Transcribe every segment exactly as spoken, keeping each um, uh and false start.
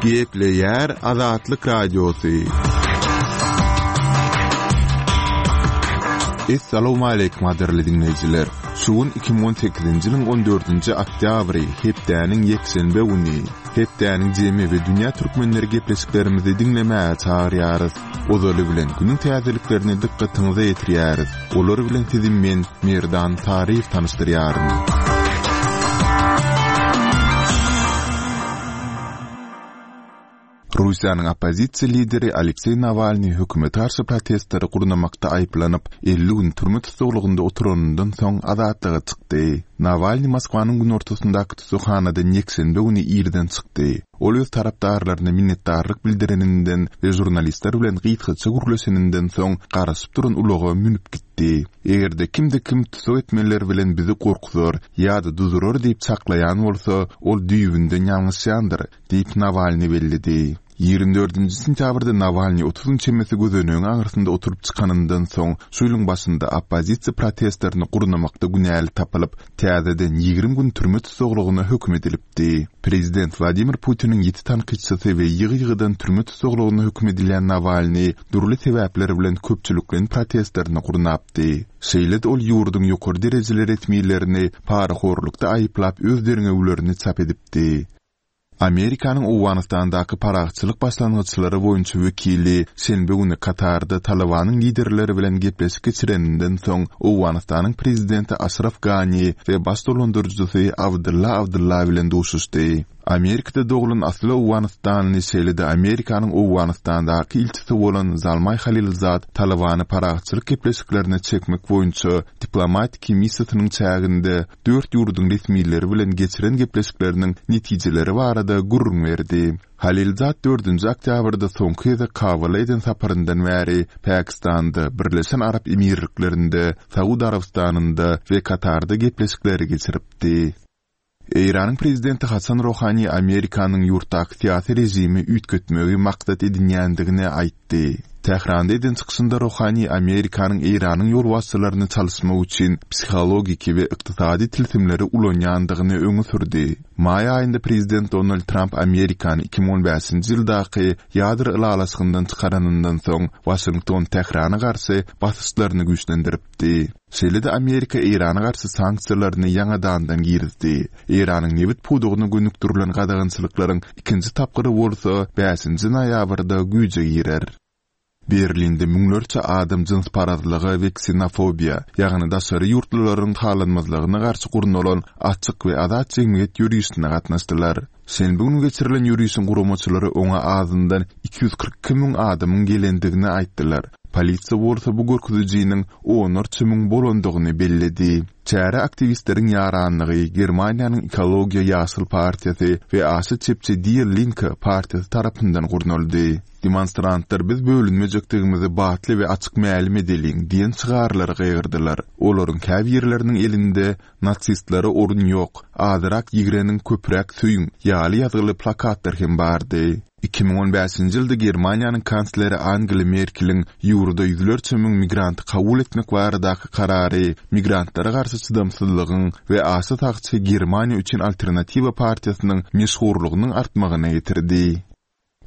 Gepleýär Azatlyk Radiosy. Essalawmaleýkim gadyrly diňleýjiler! Şu gün iki müň on sekizinji ýylyň on dördünji oktýabry, hepdäniň ýekşenbe güni. Hepdäniň jemi we dünýä türkmenleri gepleşiklerimizi diňlemäge çagyrýarys. Ozaly bilen günüň täzeliklerini dykgatyňyza ýetirýäris. Olar bilen sizi men, Merdan Taryýew tanyşdyrýaryn. Russiýanyň oppozisiýa lideri Alekseý Nawalnyý hökümete garşy protestleri gurnamakda aýyplanyp, elli gün türme tussaglygynda oturanyndan soň azatlyga çykdy. Nawalnyý Moskwanyň günortasyndaky tussaghanadan ýekşenbe güni irden çykdy. Ol öz tarapdarlaryna minnetdarlyk bildireninden we žurnalistler bilen gysgaça gürleşeninden soň garaşyp duran ulaga münüp gitdi. Eger-de kimde-kim tussag etmeler bilen bizi gorkuzar ýa-da duzurar diýip çaklaýan bolsa, ol düýbünden ýalňyşýandyr, diýip Nawalnyý belledi. Ýigrimi dördünji sentýabrda Nawalnyý otuz gün çemesi gözenegiň aňyrsynda oturyp çykanyndan soň, şu ýylyň başynda oppozisiýa protestlerini gurnamakda günäli tapylyp, täzeden ýigrimi gün türme tussaglygyna höküm edilipdi. Prezident Wladimir Putiniň ýiti tankytçysy we ýygy-ýygydan türme tussaglygyna höküm edilýän Nawalnyý dürli sebäpler bilen köpçülikleýin protestlerini gurnapdy. Şeýle-de ol ýurduň ýokary derejeli resmilerini parahorlukda aýyplap öz derňewlerini çap edipdi. Amerikanyň Owganystandaky parahatçylyk başlangyçlary boýunça wekili şenbe güni Katarda Talybanyň liderleri bilen gepleşik geçireninden soň Owganystanyň prezidenti Aşraf Gani we baş dolandyryjysy Abdylla Abdylla bilen duşuşdy. Amerikada doglan asly owganystanly şeýle-de Amerikanyň Owganystandaky ilçisi bolan Zalmaý Halilzad Talybany parahatçylyk gepleşiklerine çekmek boýunça diplomatiki missiýasynyň çäginde dört ýurduň resmileri bilen geçiren gepleşikleriniň netijeleri barada gürrüň berdi. Halilzad dördünji oktýabrda soňky gezek Kabula eden saparyndan bäri Pakistanda, Birleşen Arap Emirliklerinde, Saud Arabystanynda we Katarda gepleşikleri geçiripdi. Eýranyň prezidenti Hasan Rohani Amerikanyň ýurtdaky syýasy režimi üýtgetmegi maksat edinýändigini aýtdy. Tähranda eden çykyşynda Rohani Amerikanyň Eýranyň ýolbaşçylaryny çalyşmak üçin psihologiki we ykdysady tilsimleri ulanýandygyny öňe sürdi. Maý aýynda prezident Donald Tramp Amerikany iki müň on bäşinji ýyldaky ýadro ylalaşygyndan çykaranyndan soň Waşington Tährana garşy basyşlaryny güýçlendiripdi. Şeýle-de Amerika Eýrana garşy sanksiýalaryny ýaňadandan girizdi. Eýranyň nebit pudagyna gönükdirilen gadagançylyklaryň ikinji tapgyry bolsa bäşinji noýabrda güýje girer. Berlinde müňlerçe adam jynsparazlyga we ksenofobiýa, ýagny daşary ýurtlularyň halanmazlygyna garşy gurnalan açyk we azat jemgyýet ýörişine gatnaşdylar. Şenbe güni geçirilen ýörişiň guramaçylary oňa azyndan iki ýüz kyrk iki müň adamyň gelendigini aýtdylar. Polisiýa bolsa bu görkezijiniň onlarça müň bolandygyny belledi. Çäre aktiwistleriň ýaranlygy, Germaniýanyň Ekologiýa Ýaşyl partiýasy we aşa çepçi Die Linke partiýasy tarapyndan gurnaldy. Demonstrantlar biz bölünmejekdigimizi batly we açyk mälim edeliň diýen şygarlary gygyrdylar. Olaryň käbirleriniň elinde Nasistlere orun ýok, azyrak ýigreniň köpräk söýüň ýaly ýazgyly plakatlar hem bardy. Iki müň on bäşinji ýylda Germaniýanyň kansleri Angela Merkeliň ýurda ýüzlerçe müň migranty kabul etmek baradaky karary migrantlara garşy çydamsyzlygyň we aşa sagçy Germaniýa üçin alternatiwa partiýasynyň meşhurlygynyň artmagyna getirdi.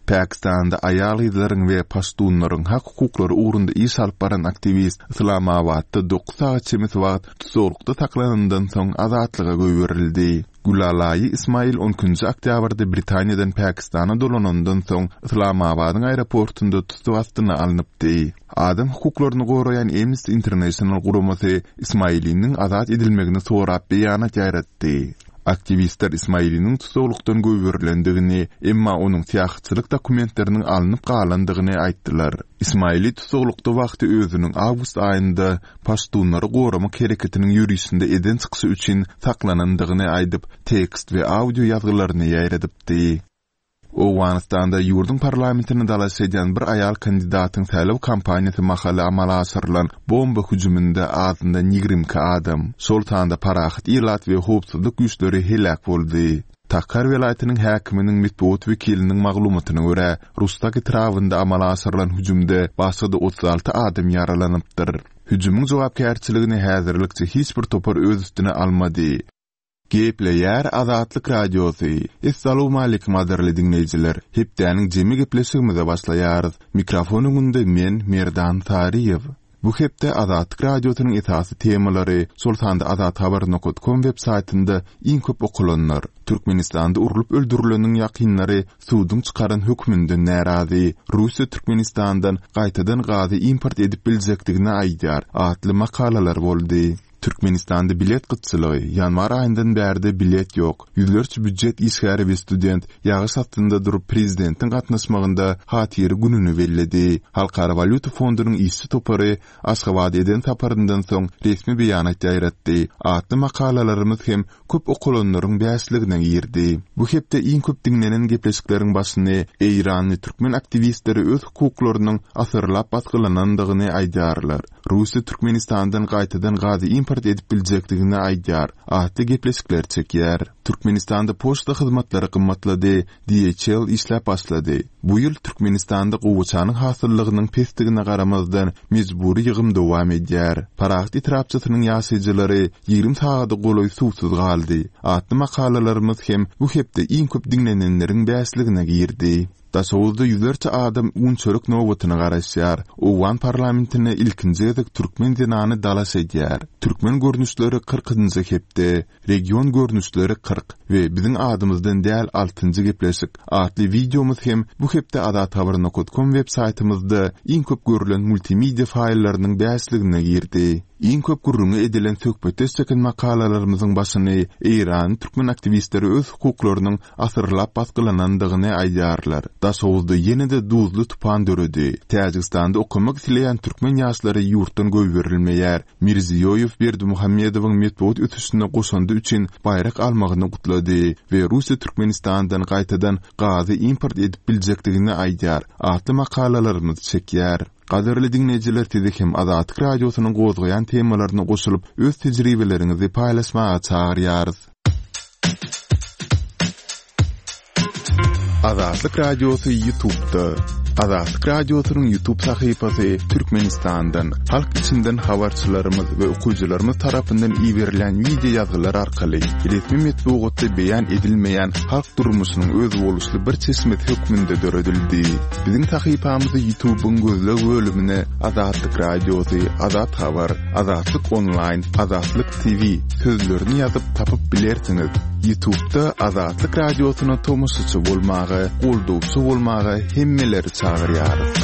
Pakistanda aýal-gyzlaryň we paştunlaryň hak-hukuklary ugrunda iş alyp baran aktiwist Yslamabatda dokuz sagat çemesi wagt tussaglykda saklanandan soň azatlyga goýberildi. Gülalaýy Ismail on ikinji oktýabrda Britaniýadan Pakistana dolanandan soň Yslamabadyň aeroportunda tussag astyna alnypdy. Adam hukuklaryny goraýan Amnesty International guramasy Ismailiniň azat edilmegini sorap beýanat ýaýratdy. Aktiwistler Ismailiniň tussaglykdan goýberilendigini, emma onuň syýahatçylyk dokumentleriniň alnyp galandygyny aýtdylar. Ismaili tussaglykda wagty özüniň awgust aýynda paştunlary goramak hereketiniň ýörişinde eden çykyşy üçin saklanandygyny aýdyp, tekst we audio ýazgylaryny ýaýradypdy. Owganystanda ýurduň parlamentine dalaş edýän bir aýal kandidatyň saýlaw kampaniýasy mahaly amala aşyrylan bomba hüjüminde azyndan ýigrimi iki adam, şol sanda parahat ilat we howpsuzlyk güýçleri heläk boldy. Takhar welaýatynyň häkiminiň metbugat wekiliniň maglumatyna görä, Rustak etrabynda amala aşyrylan hüjümde başga-da otuz alty adam ýaralanypdyr. Hüjümiň jogapkärçiligini häzirlikçe hiç bir topar öz üstüne almady. Gepleýär Azatlyk Radiosy. Essalawmaleýkim gadyrly diňleýjiler. Hepdäniň jemi gepleşigimize başlaýarys. Mikrofon öňünde men Merdan Saryýew. Bu hepde Azatlyk Radiosynyň esasy temalary, şol sanda azathabar.com web saýtynda iň köp okalanlar, Türkmenistanda urlup öldürileniň ýakynlary suduň çykaran hökmünden närazy, Russiýa Türkmenistandan gaýtadan gazy import edip biljekdigini aýdýar atly makalalar boldy. Türkmenistanda bilet gytçylygy, ýanwar aýyndan bärde bilet ýok. Ýüzlerçe býujet işgäri we student ýagyş astynda durup prezidentiň gatnaşmagynda hatyra gününi belledi. Halkara walýuta fondunyň işçi topary Aşgabada eden saparyndan soň resmi beýanat ýaýratdy. Atly makalalarymyz hem köp okalanlaryň bäşligine girdi. Bu hepde iň köp diňlenen gepleşikleriň başyny Eýranly türkmen aktiwistleri öz hukuklarynyň asyrlap basgylanandygyny aýdýarlar. Russiýa Türkmenistandan gaýtadan gazy import edip biljekdigini aýdýar. Atly gepleşikler çekýär. Türkmenistanda poçta hyzmatlary gymmatlady, D H L işläp başlady. Bu ýyl Türkmenistanda gowaçanyň hasyllygynyň pesdigine garamazdan mejbury ýygym dowam edýär. Parahat etrapçasynyň ýaşaýjylary ýigrimi sagada golaý suwsuz galdy. Atly makalalarymyz hem bu hepde iň köp diňlenenleriň bäşligine girdi. Daşoguzda ýüzlerçe adam un çörek nobatyna garaşýar. Owgan parlamentine ilkinji gezek türkmen zenany dalaş edýär. Türkmen görnüşleri kyrkynjy hepde, region görnüşleri kyrk we biziň adymyzdan däl altynjy gepleşik atly wideomyz hem bu hepde azathabar nokta com web saýtymyzda iň köp görülen multimedia faýllarynyň bäşligine girdi. Iň köp gürrüňi edilen söhbetdeş çeken makalalarymyzyň başyny Eýran türkmen aktiwistleri öz hukuklarynyň asyrlap basgylanandygyny aýdýarlar. Daşoguzda ýene-de duzly tupan döredi. Täjigistanda okamak isleýän türkmen ýaşlary ýurtdan goýberilmeýär. Mirziýoýew Berdimuhamedowyň metbugat ösüşine goşandy üçin baýrak almagyny gutlady we Russiýa Türkmenistandan gaýtadan gazy import edip biljekdigini aýdýar. Atly makalalarymyz çekýär. Gadyrly diňleýjiler, sizi hem Azatlyk Radiosynyň gozgaýan temalaryna goşulyp, öz tejribeleriňizi paýlaşmaga çagyrýarys. Azatlyk Radiosy YouTube-da. Azatlyk Radiosynyň YouTube sahypasy Türkmenistandan, halk içinden habarçylarymyz we okyjylarymyz tarapyndan iberilen wideo ýazgylar arkaly resmi metbugatda beýan edilmeýän halk durmuşynyň özboluşly bir çeşmesi hökmünde döredildi. Biziň sahypamyzy YouTube'yň gözleg bölümine Azatlyk Radiosy, Azat Habar, Azatlyk Online, Azatlyk T V sözlerini ýazyp tapyp bilersiňiz. YouTube'da Azatlyk Radiosyna tomaşaçy bolmaga, goldawçy bolmaga hemmeleri çagyrýarys.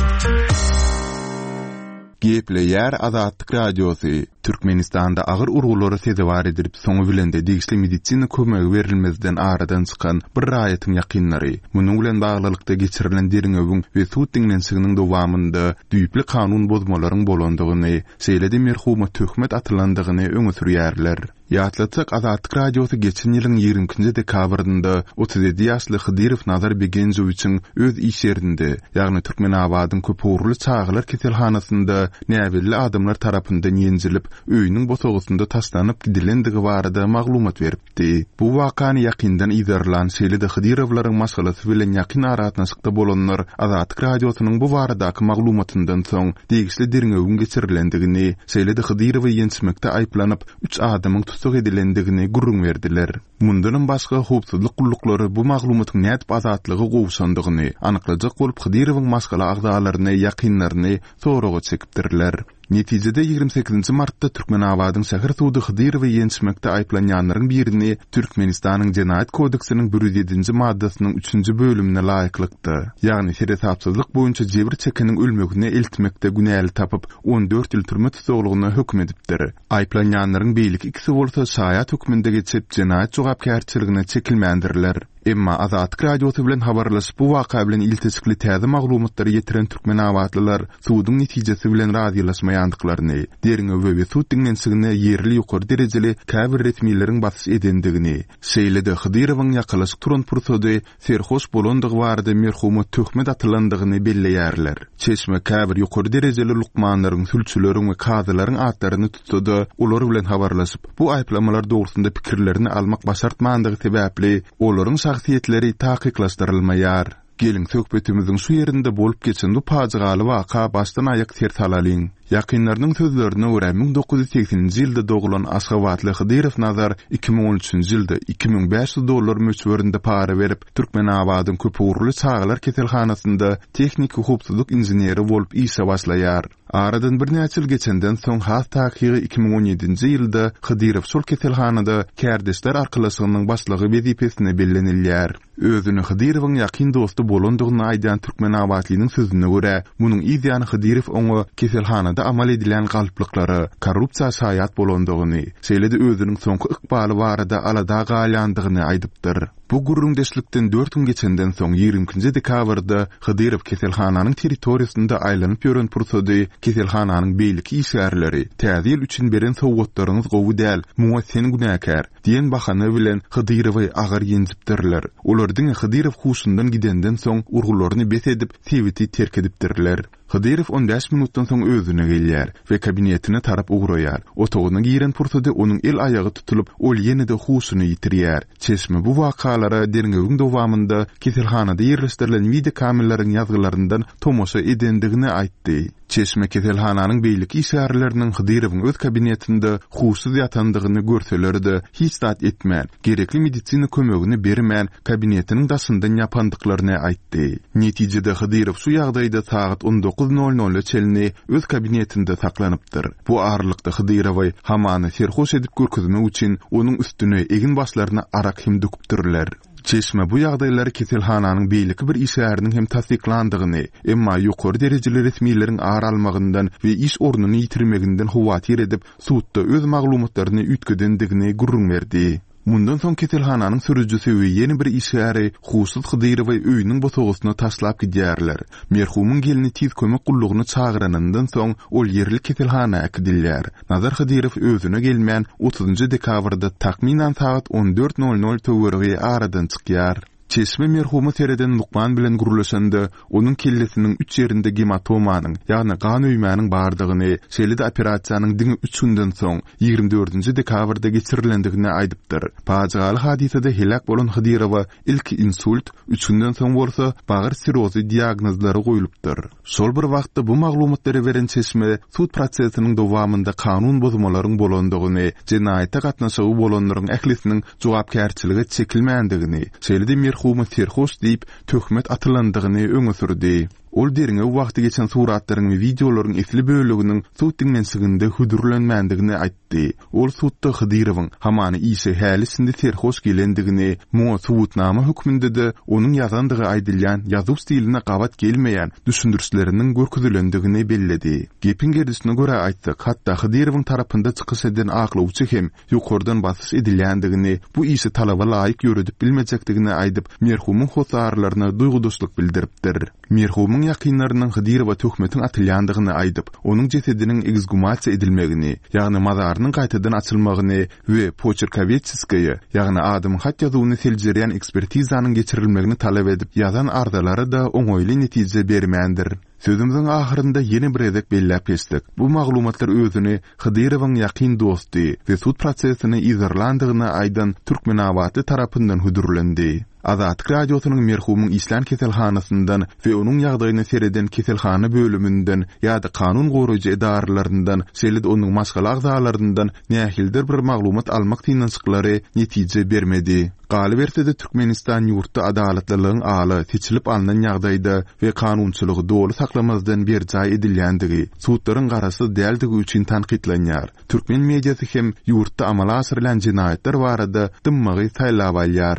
Gepleýär Azatlyk Radiosy. Türkmenistanda agyr urgulara sezewar edilip, soňy bilen de degişli medisina kömegi berilmezden aradan çykan bir raýatyň ýakynlary, munuň bilen baglylykda geçirilen derňewiň we sud diňlenişiginiň dowamynda düýpli kanun bozmalaryň bolandygyny, şeýle-de merhuma töhmet atylandygyny öňe sürýärler. Ýatlatsak, Azatlyk Radiosy geçen ýylyň ýigrimi ikinji dekabrynda otuz ýedi ýaşly Hydyrow Nazar Begenjowiçiň öz iş ýerinde, ýagny Türkmenabadyň köpugurly çagalar keselhanasynda näbelli adamlar tarapyndan ýenjilip, öýüniň bosagasynda taşlanyp gidilendigi barada maglumat beripdi. Bu wakany ýakyndan yzarlan, şeýle-de Hydyrowlaryň maşgalasy bilen ýakyn aragatnaşykda bolanlar Azatlyk Radiosynyň bu baradaky maglumatyndan soň degişli derňewiň geçirilendigini, şeýle-de Hydyrowy ýençmekde aýyplanyp üç adamyň tussag edilendigini gürrüň berdiler. Mundanam başga howpsuzlyk gulluklary bu maglumatyň nädip azatlyga gowşandygyny anyklajak bolup Hydyrowyň maşgala agzalaryny, ýakynlaryny soraga çekipdirler. Netijede ýigrimi sekizinji martda Türkmenabadyň şäher sudy Hydyrowy ýençmekde aýyplanýanlaryň birini Türkmenistanyň Jenaýat kodeksiniň bir ýüz ýedinji maddasynyň üçünji bölümine laýyklykda, ýagny seresapsyzlyk boýunça jebir çekeniň ölmegine eltmekde günäli tapyp, on dört ýyl türme tussaglygyna höküm edipdir. Aýyplanýanlaryň beýleki ikisi bolsa şaýat hökmünde geçip, jenaýat jogapkärçiligine çekilmändirler. Emma Azatlyk Radiosy bilen habarlaşyp bu waka bilen ilteşikli täze maglumatlary ýetiren türkmenabatlylar suduň netijesi bilen razylaşmaýandyklaryny, derňew we sud diňlenişigine ýerli ýokary derejeli käbir resmileriň basyş edendigini, şeýle-de Hydyrowyň ýakalaşyk turan pursady serhoş bolandygy barada merhuma töhmet atylandygyny belleýärler. Çeşme käbir ýokary derejeli lukmanlaryň, sülçüleriň we kazylaryň atlaryny tutsa-da, olar bilen habarlaşyp, bu aýyplamalar dogrusynda pikirlerini almak başartmandygy sebäpli olaryň şahsyýetleri takyklaşdyrylmaýar. Geliň, söhbetimiziň şu ýerinde bolup geçen bu pajygaly waka başdan-aýak ser salalyň. Ýakynlarynyň sözlerine görä, müň dokuz ýüz segseninji ýylda doglan Aşgabatly Hydyrow Nazar iki müň on üçünji ýylda iki müň bäş ýüz dollar möçberinde para berip, Türkmenabadyň köpugurly çagalar keselhanasynda tehniki howpsuzlyk inženeri bolup işe başlaýar. Aradan birnäçe ýyl geçenden soň, has takygy iki müň on ýedinji ýylda Hydyrow şol keselhanada kärdeşler arkalaşygynyň başlygy wezipesine bellenilýär. Özüni Hydyrowyň ýakyn dosty bolandygyny aýdan Türkmenabatlynyň sözüne görä, munuň yz ýany Hydyrow oňa keselhanada amal edilýän galplyklara, korrupsiýa şaýat bolandygyny, şeýle-de özüniň soňky ykbaly barada alada galýandygyny aýdypdyr. Bu gürrüňdeşlikden dört gün geçenden soň ýigrimi ikinji dekabrda Hydyrow keselhananyň territoriýasynda aýlanyp ýören pursady keselhananyň beýleki işgärleri Täze ýyl üçin beren sowgatlaryňyz gowy däl, muňa sen günäkär diýen bahana bilen Hydyrowy agyr ýenjipdirler. Olar diňe Hydyrow huşundan gidenden soň urgularyny bes edip sebiti terk edipdirler. Hydyrow on bäş minutdan soň özüne gelýär we kabinetine tarap ugraýar. Otagyna giren pursady onuň el aýagy tutulyp, ol ýene-de huşuny ýitirýär. Çeşme bu wakalara derňewiň dowamynda keselhanada ýerleşdirilen videokameralaryň ýazgylaryndan tomaşa edendigini aýtdy. Çeşme keselhananyň beýleki işgärleriniň Hydyrowyň öz kabinetinde huşsuz ýatandygyny görseler-de hiç zat etmän, gerekli medisina kömegini bermän kabinetiniň daşyndan ýapandyklaryny aýtdy. Netijede Hydyrow şu ýagdaýda sagat on dokuz nol nola çenli öz kabinetinde saklanypdyr. Bu aralykda Hydyrowy hamany serhoş edip görkezmek üçin onuň üstüne egin başlaryna arak hem döküpdirler. Çeşme bu ýagdaýlary keselhananyň beýleki bir işgäriniň hem tassyklandygyny, emma ýokary derejeli resmileriň ar almagyndan we iş ornuny ýitirmeginden howatyr edip, sudda öz maglumatlaryny üýtgedendigini gürrüň berdi. Mundan soň keselhananyň sürüjisi we ýene bir işgäri huşsuz Hydyrowy öýüniň bosagasyna taşlap gidýärler. Merhumyň gelni tiz kömek gullugyny çagyranyndan soň ol ýerli keselhana äkidilýär. Nazar Hydyrow özüne gelmän otuzynjy dekabrda takmynan sagat on dört nol nol töweregi aradan çykýar. Çeşme merhumy sereden lukman bilen gürleşende, onuň kellesiniň üç ýerinde gematomanyň, ýagny gan öýmäniň bardygyny, şeýle-de operasiýanyň diňe üç günden soň, ýigrimi dördünji dekabrda geçirilendigini aýdypdyr. Pajygaly hadysada heläk bolan Hydyrowa ilki insult, üç günden soň bolsa bagyr sirozy diagnozlary goýlupdyr. Şol bir wagtda bu maglumatlary beren çeşme sud prosesiniň dowamynda kanun bozmalaryň bolandygyny, jenaýata gatnaşygy bolanlaryň ählisiniň jogapkärçilige çekilmändigini, şeýle-de merhumy serhoş diýip töhmet atylandygyny öňe sürdi. Ol derňew wagty geçen suratlaryň we wideolaryň esli böleginiň sud diňlenişiginde hödürlenmändigini aýtdy. Ol sudda Hydyrowyň hamany işe häli şindi serhoş gelendigini, muňa subutnama hökmünde-de onuň ýazandygy aýdylýan ýazuw stiline gabat gelmeýän düşündirişleriniň görkezilendigini belledi. Gepiň gerdişine görä aýtsak, hatda Hydyrowyň tarapynda çykyş eden aklawçy hem ýokardan basyş edilýändigini, bu işi talaba laýyk ýöredip bilmejekdigini aýdyp, merhumyň hossarlaryna duýgudaşlyk bildiripdir. Merhumyň ýakynlarynyň Hydyrowa töhmetiň atylýandygyny aýdyp, onuň jesediniň ekshumasiýa edilmegini, ýagny mazarynyň gaýtadan açylmagyny we poçerkowetskiýe, ýagny adamyň hat ýazuwyny seljerýän ekspertizanyň geçirilmegini talap edip, ýazan arzalary da oňaýly netije bermändir. Sözümiziň ahyrynda ýene bir gezek belläp geçdik. Bu maglumatlar özüni Hydyrowyň ýakyn dosty we sud prosesini yzarlandygyny aýdan Türkmenabatly tarapyndan hödürlendi. Azatlyk radiosynyň merhumyň işlän keselhanasyndan we onuň ýagdaýyny sereden keselhana bölüminden ýa-da kanun goraýjy edaralaryndan, şeýle-de onuň maşgala agzalaryndan nähilidir bir maglumat almak synanyşyklary netije bermedi. Galyberse-de Türkmenistan ýurtda adalatlylygyň ala seçilip alnan ýagdaýda we kanunçylygy doly saklamazdan berjaý edilýändigi, sudlaryň garaşsyz däldigi üçin tankytlanýar. Türkmen mediasy hem ýurtda amala aşyrylan jenaýatlar barada dymmagy saýlap alýar.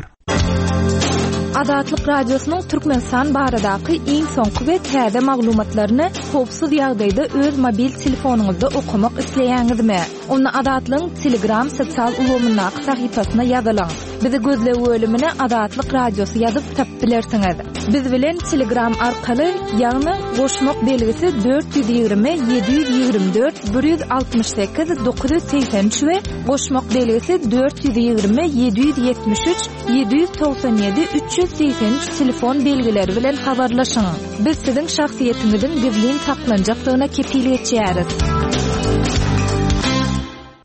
Azatlyk Radiosynyň Türkmenistan baradaky iň soňky we täze maglumatlaryny howpsuz ýagdaýda öz mobil telefonyňyzda okamak isleýäňizmi? Onda Azatlygyň Telegram sosial ulgamyndaky sahypasyna ýazylyň. Bizi gözleg bölümine Azatlyk Radiosy ýazyp tapyp bilersiňiz. Biz bilen Telegram arkaly, ýagny goşmak belgisi dört ýüz ýigrimi ýedi ýüz ýigrimi dört bir ýüz altmyş sekiz dokuz ýüz segsen üç we goşmak belgisi dört ýüz ýigrimi ýedi ýüz ýetmiş üç ýedi ýüz togsan ýedi üç ýüz segsen üç telefon belgileri bilen habarlaşyň. Biz siziň şahsyýetiňiziň gizlin saklanjakdygyna kepil geçýäris.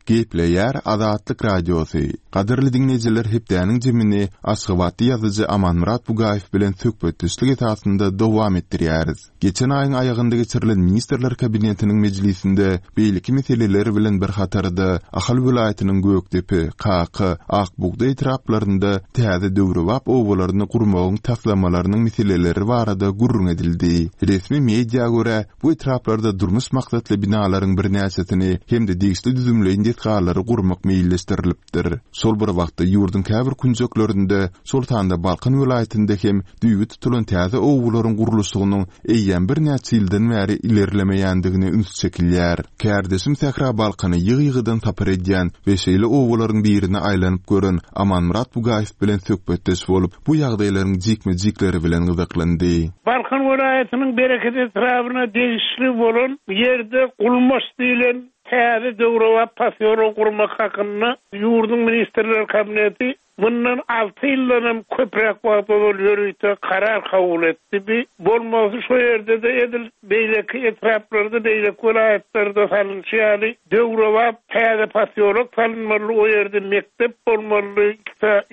Gepleýär Azatlyk Radiosy. Gadyrly diňleýjiler, hepdäniň jemini Aşgabatda ýazyjy Amanmyrat Bugaýew bilen söhbetdeşlik esasynda dowam etdirýäris. Geçen aýyň aýagynda geçirilen Ministrler Kabinetiniň mejlisinde beýleki meseleler bilen bir hatarda Ahal welaýatynyň Gökdepe, Kaka, Akbugda etraplarynda täze döwrebap obalaryny gurmagyň taslamalarynyň meseleleri barada gürrüň edildi. Resmi media görä, bu etraplarda durmuş maksatly binalaryň birnäçesini hem-de degişli düzümleýin desgalary gurmak meýilleşdirilipdir. Şol bir wagtda ýurduň käbir künjeklerinde, şol sanda Balkan welaýatynda hem düýbi tutulan täze obalaryň gurluşygynyň eýýäm birnäçe ýyldan bäri ilerlemeýändigine üns çekilýär. Kärdeşim Sähra Balkany ýygy-ýygydan sapar edýän we şeýle obalaryň birine aýlanyp gören Amanmyrat Bugaýew bilen söhbetdeş bolup, bu ýagdaýlaryň jikme-jikleri bilen gyzyklandy. Balkan welaýatynyň Bereket etrabyna degişli bolan ýerde Gulmaç diýlen täze döwrebap posýolok gurmak hakynda ýurduň Ministrler Kabineti mundan alty ýyldan köpräk wagt ozal ýörite karar kabul etdi. Bi bolmasy şo ýerde-de edil beýleki etraplarda, beýleki welaýatlarda salynşy ýaly döwrebap täze posýolok salynmaly, o ýerde mekdep bolmaly,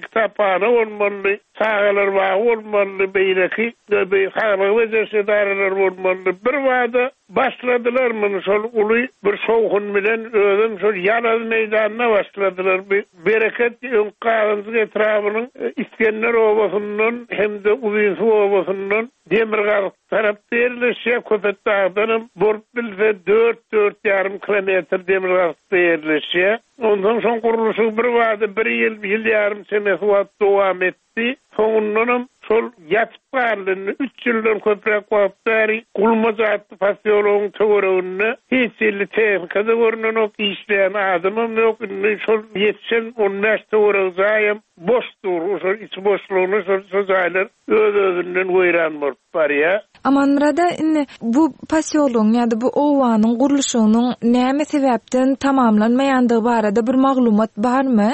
kitaphana bolmaly, çagalar bagy bolmaly, beýleki saglyk bejeriş edaralary bolmaly. Bir bada başladylar muny şol uly bir şowhun bilen özüm şol ýalaz meýdanyna başladylar. Bir Bereket öň Gazanjyk etrabynyň Iskender obasyndan hem-de Uzynsuw obasyndan demirgazyk tarapda ýerleşýär. Köpetdagdanam bolup bilse dört-dört ýarym kilometr demirgazykda ýerleşýär. Ondan soň gurluşyk bir bada bir ýyl, ýyl ýarym çemesi wagt dowam etdi. Soňundanam şol ýatyp galdy. Üç ýyldan köpräk wagt bäri Gulmaç atly posýologyň töwereginde hiç ýyly tehnikada görünenok, işleýän adamam ýok. Indi şol ýetişen on bäş töweregi jaýam boş dur. Şol içi boşlugyna şol, şol jaýlar öz-özünden weýran bolup barýar. Amanmyrada, indi bu posýologyň ýa-da bu owanyň gurluşygynyň näme sebäpden tamamlanmaýandygy barada bir maglumat barmy?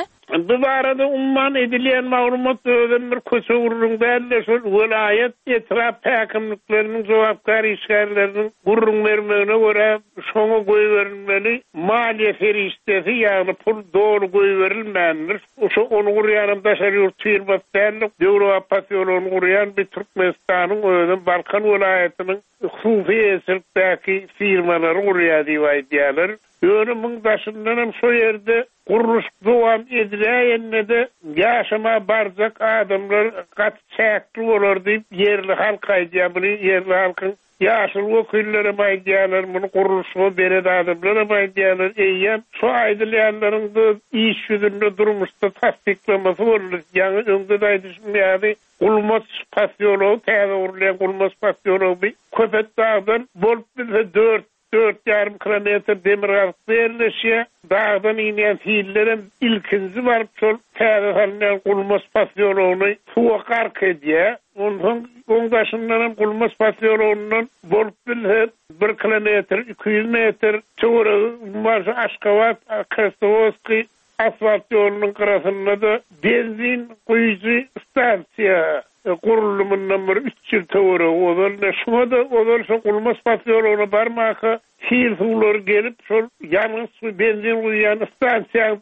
Bu barada umman edilýän maglumat özem bir köçe gurrun däl-de, şol welaýat etrap häkimlikleriniň jogapkär işgärleriniň gurrun bermegine görä şoňa goýberilmeli maliýe serişdesi, ýagny pul doly goýberilmändir. Şo ony gurýanam daşary ýurt firmasy däl-de, döwrebap posýologyny gurýan bir Türkmenistanyň özem Balkan welaýatynyň hususy eýeçilikdäki firmalary gurýar diýip aýdýarlar. Ýöne muň daşyndanam şo ýerde gurluşyk dowam ediläýende-de ýaşama barjak adamlar gaty çäkli bolar diýip ýerli halk aýdýar. Muny ýerli halkyň ýaşuly wekillerem aýdýarlar, muny gurluşyga beren adamlaram aýdýarlar. Eýýäm şo aýdylýanlaryň da iş ýüzünde durmuşda tassyklamasy boldy. Ýaňy öňde-de aýdyşym ýaly Gulmaç posýology, täze gurulýan Gulmaç posýology bir Köpetdagdan bolup bilse dört, dört ýarym kilometr demirgazykda ýerleşýär. Dagdan inýän sillerem ilkinji baryp şol täze salynýan Gulmaç posýologyny suwa gark edýär. Onsoň oň daşyndanam Gulmaç posýologyndan bolup bilse bir kilometr, iki ýüz metr töweregi bar şu Aşgabat, Krasnowodskiý asfalt ýolunyň gyrasynda da benzin guýujy stansiýa guruldy mundan bir üç ýyl töweregi ozal. Ne şuňa da ozal şo Gulmaç posýologyna barmaka sil suwlary gelip şol ýangyç we benzin guýýan stansiýa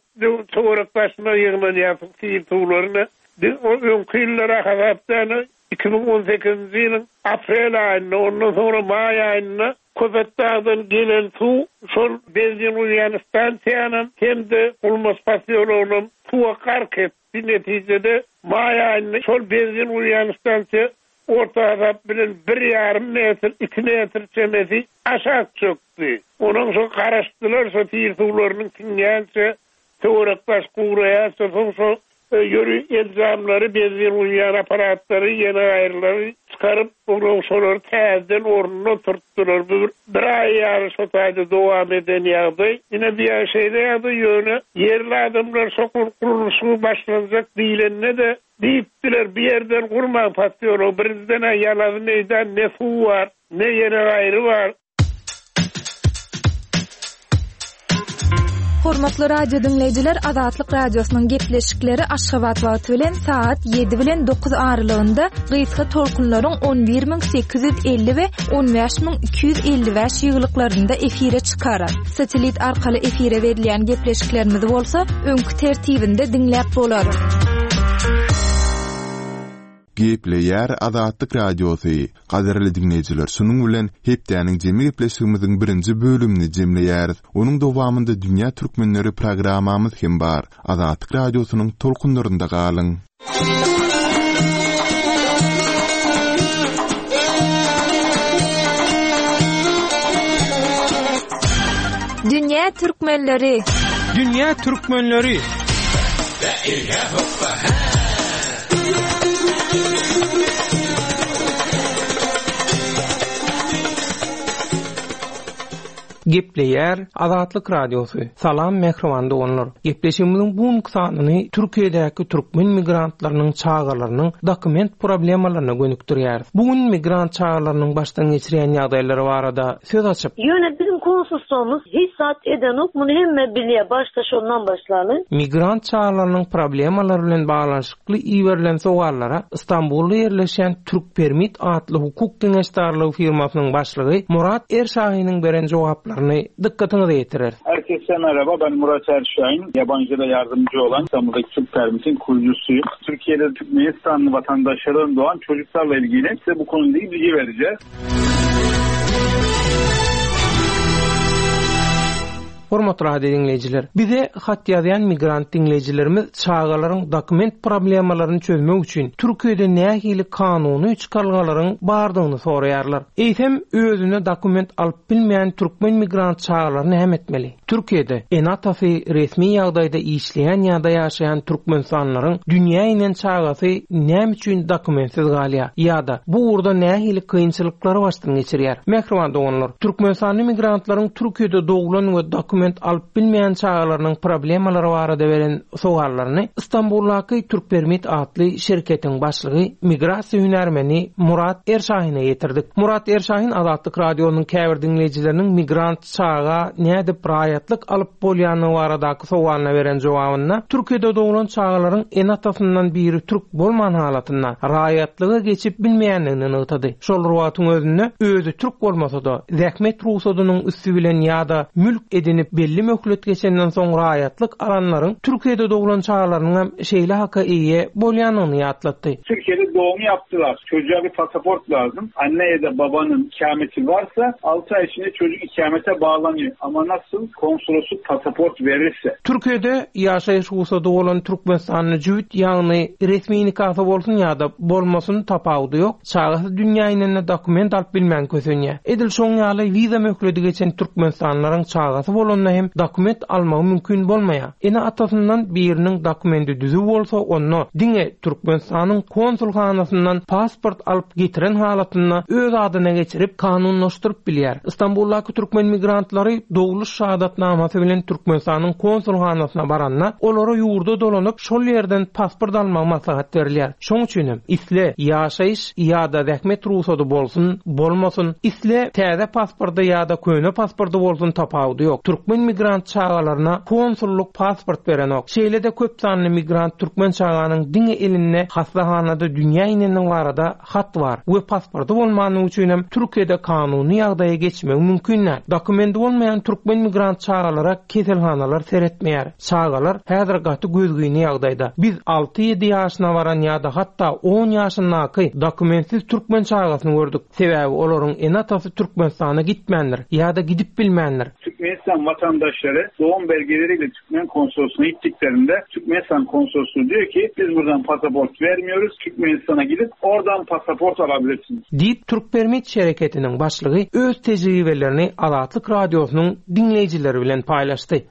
töwerek başyna ýygnanýar sil suwlaryny. Biz o öňki ýyllara hasapdan iki müň on sekizinji ýylyň aprel aýynda, ondan soňra maý aýynda Köpetdagdan gelen suw şol benzin guýýan stansiýanam hem-de Gulmaç posýologynam suwa gark etdi. Netijede maý aýynda şol benzin guýýan stansiýa orta hasap bilen bir ýarym metr, iki metr çemesi aşak çökdi. Onuň şo garaşdylar, şo sil suwlarynyň siňýänçe, töwerek baş guraýança, soň şo ýörü enjamlary, benzin guýýan aparatlary, ýene gaýrylary çykaryp, onuň şolary täzeden ornuna oturtdylar. Bu bir, bir aý ýaly şo taýda dowam eden ýagdaý. Ine bir ýa şeýle ýagdaý, ýöne ýerli adamlar şo gurluşygy başlanjak diýlende-de diýipdiler, bir ýerden gurmaň posýology, birinjiden ýalazy meýdan ne suw bar, ne ýene gaýry bar. Hormatly radio diňleýjiler, Azatlyk Radiosynyň gepleşikleri Aşgabat wagty bilen saat ýedi bilen dokuz aralygynda gysga tolkunlaryň on bir müň sekiz ýüz elli we on bäş müň iki ýüz elli bäş ýyglyklarynda efire çykar. Satelit arkaly efire berilýän gepleşiklerimizi bolsa öňki tertibinde diňläp bolar. Gepleýär Azatlyk Radiosy. Gadyrly diňleýjiler, şunuň bilen hepdäniň jemi gepleşigimiziň birinji bölümini jemleýäris. Onuň dowamynda Dünýä Türkmenleri programmamyz hem bar. Azatlyk Radiosynyň tolkunlarynda galyň. Dünýä Türkmenleri. Dünýä Türkmenleri. Gepleýär Azatlyk Radiosy. Salam mähriban doganlar. Gepleşigimiziň bu günki sanyny Türkiýedäki türkmen migrantlarynyň çagalarynyň dokument problemalaryna gönükdirýär. Bu gün migrant çagalarynyň başdan geçirýän ýagdaýlary barada söz açyp. Ýöne bizim konsulsumuz hiç zat edenok, muny hemme bilýär. Başda şondan başlaly. Migrant çagalarynyň problemalary bilen baglanyşykly iberilen sowallara İstanbulda ýerleşýän Türk Permit atly hukuk geňeşdarlygy firmasynyň başlygy Murat Erşahin'in beren jogaplaryny dikkatinizi ýetirer. Herkese merhaba, ben Murat Erşahin. Yabancılara yardımcı olan İstanbul'daki Türk Permit'in kurucusuyum. Türkiye'de Türkmenistanlı vatandaşlardan doğan çocuklarla ilgili size bu konuyla ilgili bilgi vereceğiz. Hormatly radio dinleýjiler, bize hat ýazýan migrant dinleýjilerimiz çagalaryň dokument problemalaryny çözmek üçin Türkiýede nähili kanuny çykargalaryň bardygyny soraýarlar. Eýsem özüne dokument alyp bilmeýän türkmen migrant çagalaryny näme etmeli? Türkiýede ene-atasy resmi ýagdaýda işleýän ýa-da ýaşaýan türkmenistanlylaryň dünýä inen çagasy näme üçin dokumentsiz galýar ýa-da bu ugurda nähili kynçylyklary başdan geçirýär? Mähriban doganlar, Türkmenistanly migrantlaryň Türkiýede doglan we dokument alyp bilmeýän çagalarynyň problemalary barada beren sowallaryny İstanbuldaky Türk Permit atly şirketiň başlygy migrasiýa hünärmeni Murat Erşahin'e ýetirdik. Murat Erşahin Azatlyk Radiosynyň käbir diňleýjileriniň migrant çaga nädip raýatlyk alyp bolýany baradaky sowalyna beren jogabynda Türkiýede doglan çagalaryň ene-atasyndan biri türk bolman halatynda raýatlyga geçip bilmeýändigini nygtady. Şol wagtyň özünde özi türk bolmasa da zähmet ruhsadynyň üsti bilen ýa-da mülk edinip belli möhlet geçenden soň raýatlyk alanlaryň Türkiýede doglan çagalarynyň hem şeýle haka eýe bolýanyny ýatlatdy. Türkiye'de doğum yaptılar. Çocuğa bir pasaport lazım. Anne ya da babanın ikameti varsa altı ay içinde çocuk ikamete bağlanıyor. Ama nasıl konsolosluk pasaport verirse. Türkiye'de ýaşaýyş ruhsady bolan Türkmenistanly jübüt, ýagny resmi nikahda bolsun ýa-da bolmasyn tapawudy ýok. Çagasy dünýä inende dokument alyp bilmän kösenýär. Edil şoň ýaly wiza möhleti geçen Türkmenistanlylaryň çagasy bolanda hem dokument almagy mümkin bolmaýar. Ene atasyndan biriniň dokumenti düzüw bolsa, onda diňe Türkmenistanyň konsulhanasyndan pasport alyp getiren halatynda öz adyna geçirip kanunlaşdyryp bilýär. İstanbuldaky türkmen migrantlary dogluş şahadatnamasy bilen Türkmenistanyň konsulhanasyna baranda, olara ýurda dolanyp şol ýerden pasport almagy maslahat berilýär. Şoň üçin hem isle ýaşaýyş ýa-da zähmet ruhsady bolsun, bolmasyn, isle täze pasporty ýa-da köne pasporty bolsun tapawudy ýok. Türkmen migrant çagalaryna konsulluk pasport berenok. Şeýle-de köp sanly migrant türkmen çaganyň diňe elinde hastahanada dünýä ineniniň barada hat bar we pasporty bolmanyň üçin hem Türkiýede kanuny ýagdaýa geçmegi mümkin däl. Dokumenti bolmaýan türkmen migrant çagalara keselhanalar seretmeýär. Çagalar häzir gaty gözgyny ýagdaýda. Biz alty-ýedi ýaşyna baran ýa-da hatda on ýaşyndaky dokumentsiz türkmen çagasyny gördük. Sebäbi olaryň ene-atasy Türkmenistana gitmändir ýa-da gidip bilmändir. Türkmenistan vatandaşları doğum belgeleriyle Türkmen konsolosluğuna gittiklerinde Türkmenistan konsolosluğu diyor ki biz buradan pasaport vermiyoruz. Türkmenistan'a gidip oradan pasaport alabilirsiniz. Deyip Türk Permit şereketiniň başlygy öz tejribelerini Azatlyk Radiosynyň dinleýjileri bilen paýlaşdy.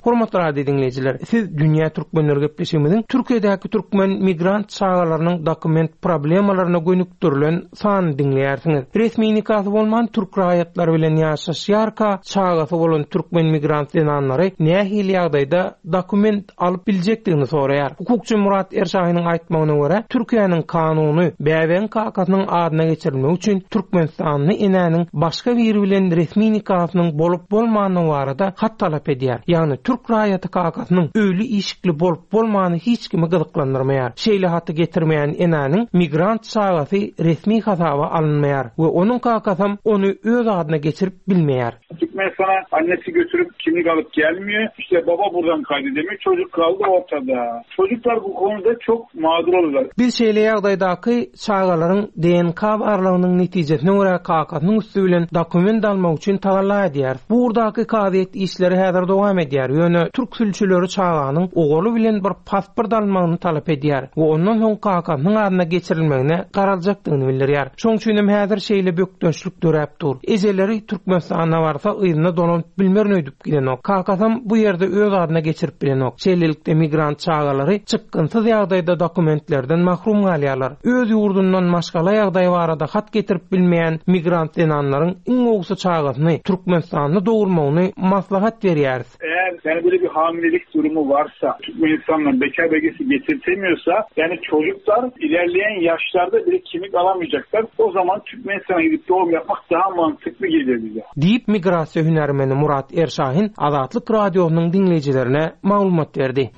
Hormatly radio diňleýjiler, siz Dünýä Türkmenleri gepleşigimiziň Türkiýedäki türkmen migrant çagalarynyň dokument problemalaryna gönükdirilen sanyny diňleýärsiňiz. Resmi nikasy bolman türk raýatlary bilen ýaşaşýarka çagasy bolan türkmen migrant zenanlary nähili ýagdaýda dokument alyp biljekdigini soraýar. Hukukçy Murat Erşahynyň aýtmagyna görä, Türkiýäniň kanuny bäbegiň kakasynyň adyna geçirilmegi üçin Türkmenistanly enäniň başga biri bilen resmi nikasynyň bolup bolmany barada hat talap edýär. Ýagny türk raýaty kakasynyň öýli işikli bolup bolmany hiç kimi gyzyklandyrmaýar. Şeýle haty getirmeýän enäniň migrant çagasy resmi hasaba alynmaýar we onuň kakasam ony öz adyna geçirip bilmeýär. Türkmenistan'a annesi götürüp kimlik alıp gelmiyor. İşte baba buradan kaydedemiyor. Çocuk kaldı ortada. Çocuklar bu konuda çok mağdur oluyorlar. Biz şeýle ýagdaýdaky çagalaryň D N K barlagynyň netijesine görä kakasynyň üstü bilen dokument almak üçin tagalla edýär. Bu ugurdaky kazyýet işleri häzir dowam edýär. Ýöne türk sülçüleri çaganyň ogaly bilen bir pasport almagyny talap edýär we ondan soň kakasynyň adyna geçirilmegine garaljakdygyny bildirýär. Şoň üçin hem häzir şeýle bökdençlik döräp dur. Ejeleri Türkmenistana barsa yzyna dolanyp bilmerin öýdüp gidenok. Kakasam bu ýerde öz adyna geçirip bilenok. Şeýlelikde migrant çagalary çykgynsyz ýagdaýda dokumentlerden mahrum galýarlar. Öz ýurdundan maşgala ýagdaýy barada hat getirip bilmeýän migrant zenanlaryň iň gowusy çagasyny Türkmenistanda dogurmagyny maslahat berýäris. Eğer yani böyle bir hamilelik durumu varsa, Türkmenistan'dan bekar belgesi getirtemiyorsa, yani çocuklar ilerleyen yaşlarda bile kimlik alamayacaklar. O zaman Türkmenistan'a gidip doğum yapmak daha mantıklı geliyor bize. Diýip migrasiýa hünärmeni Murat Erşahin Azatlyk radiosynyň diňleýjilerine maglumat berdi.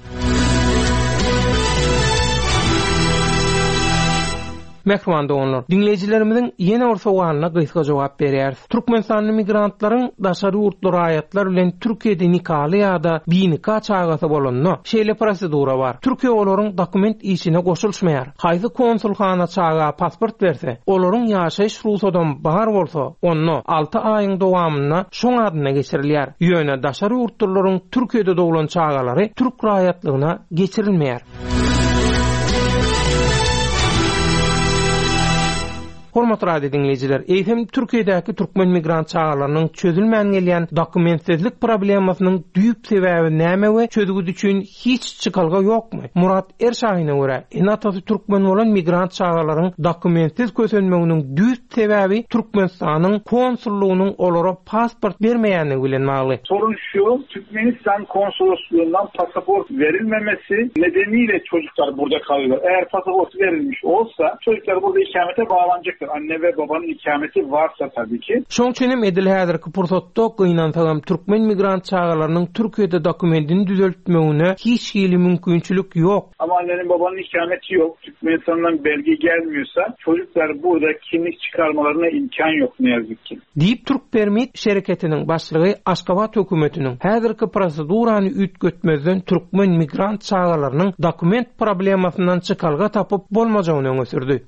Mähriban doganlar, diňleýjilerimiziň ýene bir sowalyna gysga jogap berýäris. Türkmenistanly migrantlaryň daşary ýurtly raýatlar bilen Türkiýede nikaly ýa-da binika çagasy bolanda şeýle prosedura bar. Türkiýe olaryň dokument işine goşulmaýar. Haýsy konsulhana çaga pasport berse, olaryň ýaşaýyş rugsatdan bar bolsa, onda alty aýyň dowamynda şoň adyna geçirilýär. Ýöne daşary ýurtlylaryň Türkiýede doglan çagalary türk raýatlygyna geçirilmeýär. Hormatly radio diňleýjiler, eýsem Türkiýedäki türkmen migrant çagalarynyň çözülmän gelýän dokumentsizlik problemasynyň düýp sebäbi näme we çözgüt üçin hiç çykalga ýokmy? Murat Erşahyna görä, ene-atasy türkmen bolan migrant çagalaryň dokumentsiz kösenmeginiň düýp sebäbi Türkmenistanyň konsullygynyň olara pasport bermeýänligi bilen bagly. Sorun şu, Türkmenistan konsolosluğundan pasaport verilmemesi nedeniyle çocuklar burada kalıyorlar. Eğer pasaport verilmiş olsa çocuklar burada ikamete bağlanacaktır. Anne ve babanın ikameti varsa tabii ki. Şoň üçin hem edil häzirki pursatda gynansagam türkmen migrant çagalarynyň Türkiýede dokumentini düzeltmegine hiç hili mümkinçilik ýok. Ama annenin babanın ikameti yok. Türkmenistan'dan belge gelmiyorsa çocuklar burada kimlik çıkarmalarına imkan yok ne yazık ki. Diýip Türk Permit şereketiniň başlygy Aşgabat hökümetiniň häzirki prosedurany üýtgetmezden türkmen migrant çagalarynyň dokument problemasyndan çykalga tapyp bolmajagyny öňe sürdi.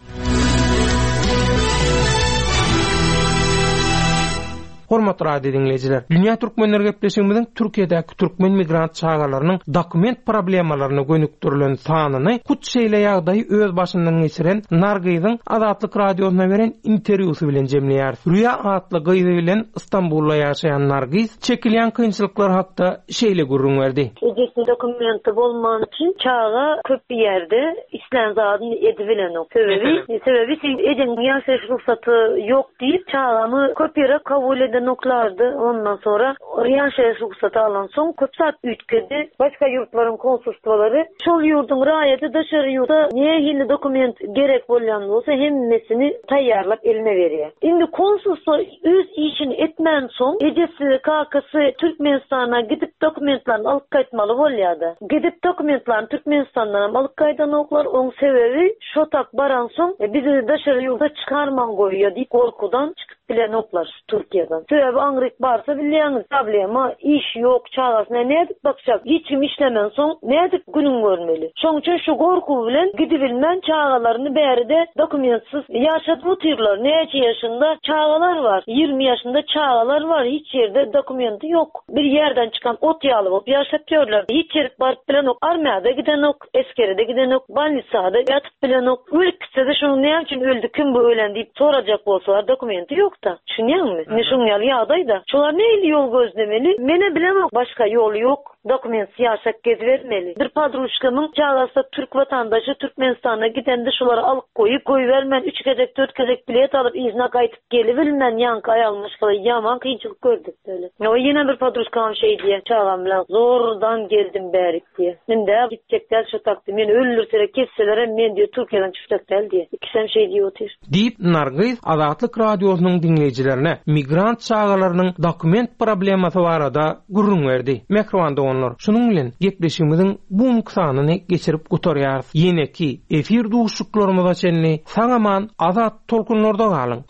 Hormatly radio diňleýjiler, Dünýä Türkmenleri gepleşigimiziň Türkiýedäki türkmen migrant çagalarynyň dokument problemalaryna gönükdirilen sanyny hut şeýle ýagdaýy öz başyndan geçiren Nargyzyň Azatlyk radiosyna beren interwýusy bilen jemleýäris. Rüýa atly gyzy bilen Istanbulda ýaşaýan Nargyz çekilýän kynçylyklar hakda şeýle gürrüň berdi. Ejesiniň dokumenti bolman üçin çaga köp bir ýerde islän zadyny edibilenok. Sebebi, sebebi sen ejeň ýaşaýyş rugsaty ýok diýip çagany köp ýere kabul edenoklardy. Ondan sonra ýaşaýyş rugsaty alan soň köp saat üýtgedi. Başga ýurtlaryň konsulstwalary şol ýurduň raýaty daşary ýurda nähili dokument gerek bolýan bolsa hemmesini taýýarlap eline berýär. Indi konsulstwa öz işini etmän soň ejesi, kakasy Türkmenistana gidip dokumentlerini alyp gaýtmaly bolýardy. Gidip dokumentlerini Türkmenistandan alyp gaýdanoklar, oň sebebi şo tak baran soň, e, bizi daşary ýurda çykarman goýýar diýip korkudan çykyp bilenoklar Türkiýeden. Sebebi aňryk barsa bilýäňiz, problema, iş ýok, çagasyna nädip bakjak, hiç kim işlemen soň nädip günün görmeli. Şoň üçin şu gorku bilen gidibilmän çagalaryny bäride dokumentsiz ýaşadyp otyrlar. Näçe ýaşynda çagalar var, ýigrimi ýaşynda çagalar var, hiç ýerde dokumenti ýok. Bir ýerden çykan ot ýaly bolup ýaşap ýörler. Hiç ýere baryp bilenok, armiýada gidenok, eskerede gidenok, balnisada ýatyp bilenok. Ölüp gitse de şonuň näme üçin öldü, kim bu ölen diýip sorajak bolsalar dokumenti ýok da. Düşünýäňmi? Ne şoň ýaly ýagdaýda. Şolar nähili ýol gözlemeli? Mene bilemok, başga ýoly ýok. Dokumentsiz ýaşap gezibermeli. Bir podruşkamyň çagasy türk watandaşy Türkmenistana gidende şulary alyp goýup goýbermän üç gezek dört gezek bilet alyp yzyna gaýtyp gelibilmän ýaňky aýal maşgala ýaman kynçylyk gördük böyle. O ýene bir podruşkam şeý diýe çagam bilen zordan geldim bärik diýe. Indi gitjekler şu takdy meni öldürseler kesseler hem men diýe Türkiýeden çykjak däl diýe. Ikisem şeý diýip otyr. Diýip Nargyz Azatlyk Radiosynyň diňleýjilerine migrant çagalarynyň dokument problemasy barada gürrüň berdi. Mähriban doganlar, şunuň bilen gepleşigimiziň bu sanyny geçirip gutarýarys. Ýeneki efir duşuşyklarymyza çenli sag-aman azat tolkunlarda galyň.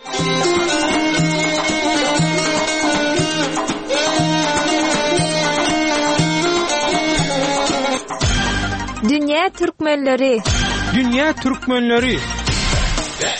Dünýä Türkmenleri Dünýä Türkmenleri Ve